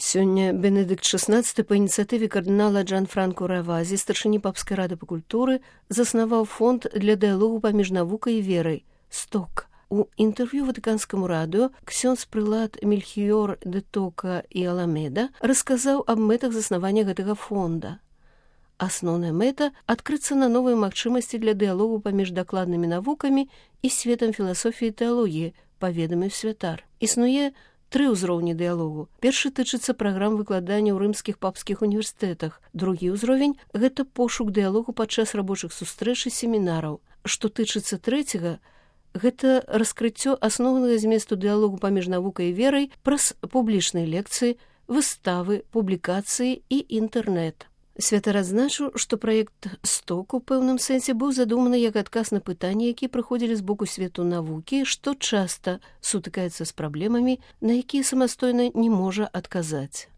Сёння Бенедыкт XVI па ініцыятыве кардынала Джанфранко Равазі, старшыні папскай рады па культуры, заснаваў фонд для дыялогу паміж навукай і верай «Сток». У інтэрв'ю ватыканскаму радыё ксёндз прылад Мельхіёр де Тока і Аламеда расказаў аб мэтах заснавання гэтага фонда. Асноўная мэта – адкрыцца на новыя магчымасці для дыялогу паміж дакладнымі навукамі і светам філасофіі і тэалогіі, паведаміў святар. Існуе 3 ўзроўні дыялогу. Першы тычыцца праграм выкладання ў рымскіх папскіх універсітэтах. Другі ўзровень – гэта пошук дыялогу падчас рабочых сустрэч і семінараў. Што тычыцца трэцяга, гэта раскрыццё асноўнага зместу дыялогу паміж навукай і верай праз публічныя лекцыі, выставы, публікацыі і інтэрнэт. Святар адзначыў, што праект «Сток» у пэўным сэнсе быў задуманы як адказ на пытанні, якія прыходзілі з боку свету навукі, што часта сутыкаецца з праблемамі, на якія самастойна не можа адказаць.